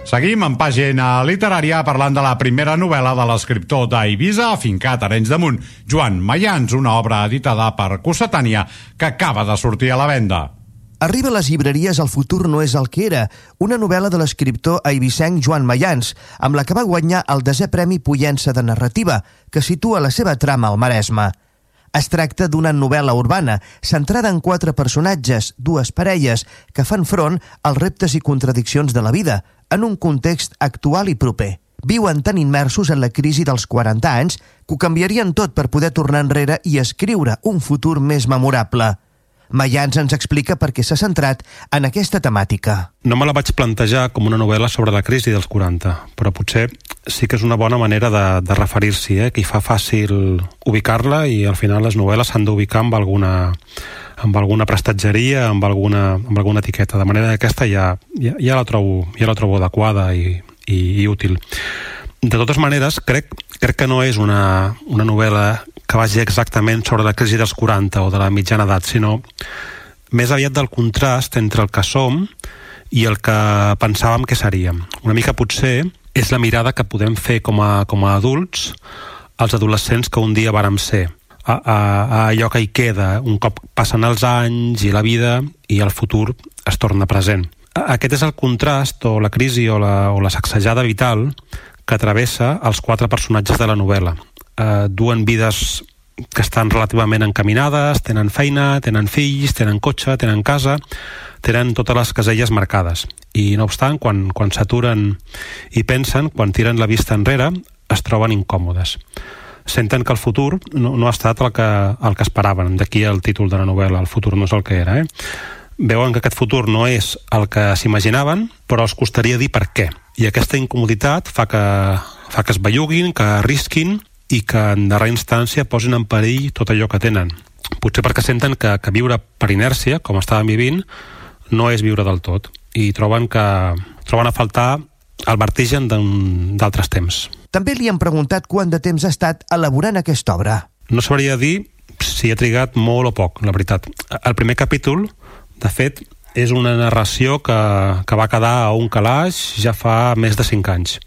Seguim en pàgina literària parlant de la primera novel·la de l'escriptor d'Eivissa, afincat a Arenys de Munt, Joan Mayans, una obra editada per Cossetània que acaba de sortir a la venda. Arriba a les llibreries El futur no és el que era, una novel·la de l'escriptor eivissenc Joan Mayans, amb la que va guanyar el 10è Premi Pollença de Narrativa, que situa la seva trama al Maresme. Es tracta d'una novel·la urbana, centrada en 4 personatges, 2 parelles, que fan front als reptes i contradiccions de la vida, en un context actual i proper. Viuen tan immersos en la crisi dels 40 anys que ho canviarien tot per poder tornar enrere i escriure un futur més memorable. Mayans ens explica per què s'ha centrat en aquesta temàtica. No me la vaig plantejar com una novel·la sobre la crisi dels 40, però potser sí que és una bona manera de referir-s'hi, que hi fa fàcil ubicar-la, i al final les novel·les s'han d'ubicar amb alguna prestatgeria, amb alguna etiqueta, de manera que aquesta ja la trobo adequada i útil. De totes maneres, crec que no és una novel·la que vagi exactament sobre la crisi dels 40 o de la mitjana edat, sinó més aviat del contrast entre el que som i el que pensàvem que seríem. Una mica potser és la mirada que podem fer com a adults als adolescents que un dia vàrem ser, a allò que hi queda un cop passen els anys i la vida i el futur es torna present. Aquest és el contrast o la crisi o la sacsejada vital que travessa els 4 personatges de la novel·la. Duen vides que estan relativament encaminades, tenen feina, tenen fills, tenen cotxe, tenen casa, tenen totes les caselles marcades. I no obstant, quan s'aturen i pensen, quan tiren la vista enrere, es troben incòmodes. Senten que el futur no ha estat el que esperaven. D'aquí el títol de la novel·la, El futur no és el que era. Veuen que aquest futur no és el que s'imaginaven, però els costaria dir per què. I aquesta incomoditat fa que es belluguin, que arrisquin i que en darrera instància posin en perill tot allò que tenen. Potser perquè senten que viure per inèrcia, com estàvem vivint, no és viure del tot, i troben a faltar el vertigen d'altres temps. També li han preguntat quant de temps ha estat elaborant aquesta obra. No sabria dir si ha trigat molt o poc, la veritat. El primer capítol, de fet, és una narració que va quedar a un calaix ja fa més de 5 anys.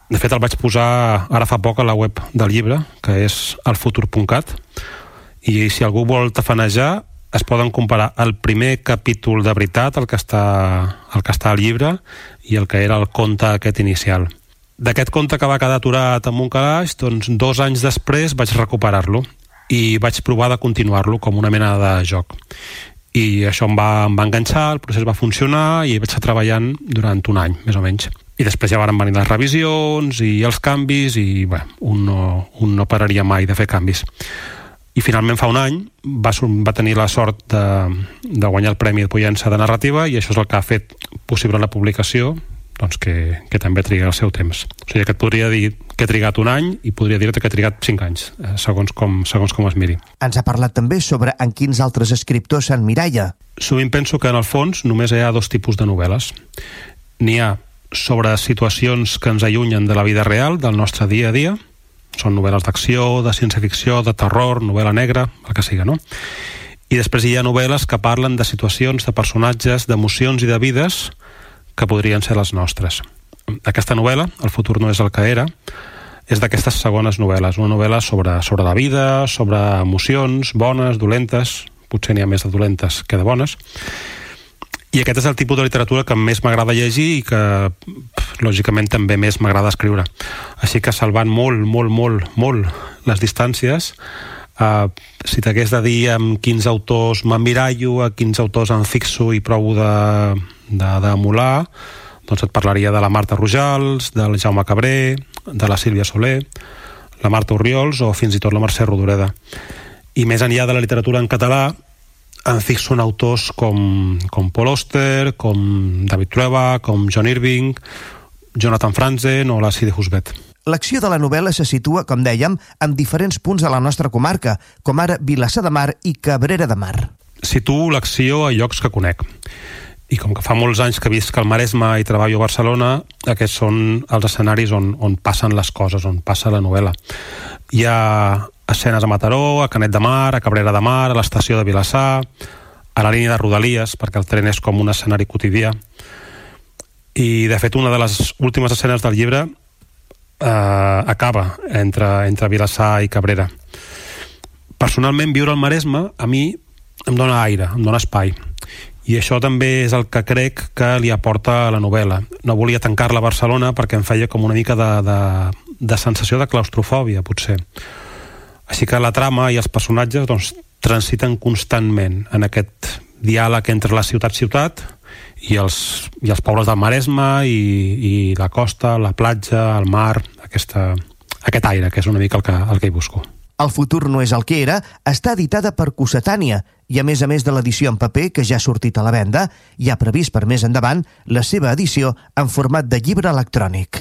De fet, el vaig posar ara fa poc a la web del llibre, que és elfutur.cat, i si algú vol tafanejar, es poden comparar el primer capítol de veritat, el que està al llibre, i el que era el conte aquest inicial. D'aquest conte que va quedar aturat en un calaix, doncs 2 anys després vaig recuperar-lo i vaig provar de continuar-lo com una mena de joc. I això em va enganxar, el procés va funcionar i vaig estar treballant durant un any, més o menys. I després ja van venir les revisions i els canvis i un no pararia mai de fer canvis. I finalment fa un any va tenir la sort de guanyar el Premi de Pollença de Narrativa, i això és el que ha fet possible la publicació, doncs que també triga el seu temps. O sigui que et podria dir que he trigat un any i podria dir-te que he trigat 5 anys, segons com es miri. Ens ha parlat també sobre en quins altres escriptors s'emmiralla. Sovint penso que en el fons només hi ha 2 tipus de novel·les. N'hi ha sobre situacions que ens allunyen de la vida real, del nostre dia a dia. Són novel·les d'acció, de ciència-ficció, de terror, novel·la negra, el que siga, no? I després hi ha novel·les que parlen de situacions, de personatges, d'emocions i de vides que podrien ser les nostres. Aquesta novel·la, El futur no és el que era, és d'aquestes segones novel·les. Una novel·la sobre la vida, sobre emocions, bones, dolentes, potser n'hi ha més de dolentes que de bones. I aquest és el tipus de literatura que més m'agrada llegir i que, lògicament, també més m'agrada escriure. Així que, salvant molt les distàncies, si t'hagués de dir amb quins autors m'emmirallo, a quins autors em fixo i provo d'emular, doncs et parlaria de la Marta Rojals, del Jaume Cabré, de la Sílvia Soler, la Marta Orriols o fins i tot la Mercè Rodoreda. I més enllà de la literatura en català, em fixo en autors com Paul Auster, com David Trueba, com John Irving, Jonathan Franzen o la Sidi Husbet. L'acció de la novel·la se situa, com dèiem, en diferents punts de la nostra comarca, com ara Vilassar de Mar i Cabrera de Mar. Situo l'acció a llocs que conec. I com que fa molts anys que visc al Maresme i treballo a Barcelona, aquests són els escenaris on passen les coses, on passa la novel·la. Hi ha escenes a Mataró, a Canet de Mar, a Cabrera de Mar, a l'estació de Vilassar, a la línia de Rodalies, perquè el tren és com un escenari quotidià. I, de fet, una de les últimes escenes del llibre acaba entre Vilassar i Cabrera. Personalment, viure al Maresme a mi em dona aire, em dona espai. I això també és el que crec que li aporta a la novel·la. No volia tancar-la a Barcelona perquè em feia com una mica de sensació de claustrofòbia, potser. Així que la trama i els personatges doncs, transiten constantment en aquest diàleg entre la ciutat-ciutat i els pobles del Maresme i la costa, la platja, el mar, aquest aire, que és una mica el que hi busco. El futur no és el que era està editada per Cossetània i, a més de l'edició en paper, que ja ha sortit a la venda, hi ha previst per més endavant la seva edició en format de llibre electrònic.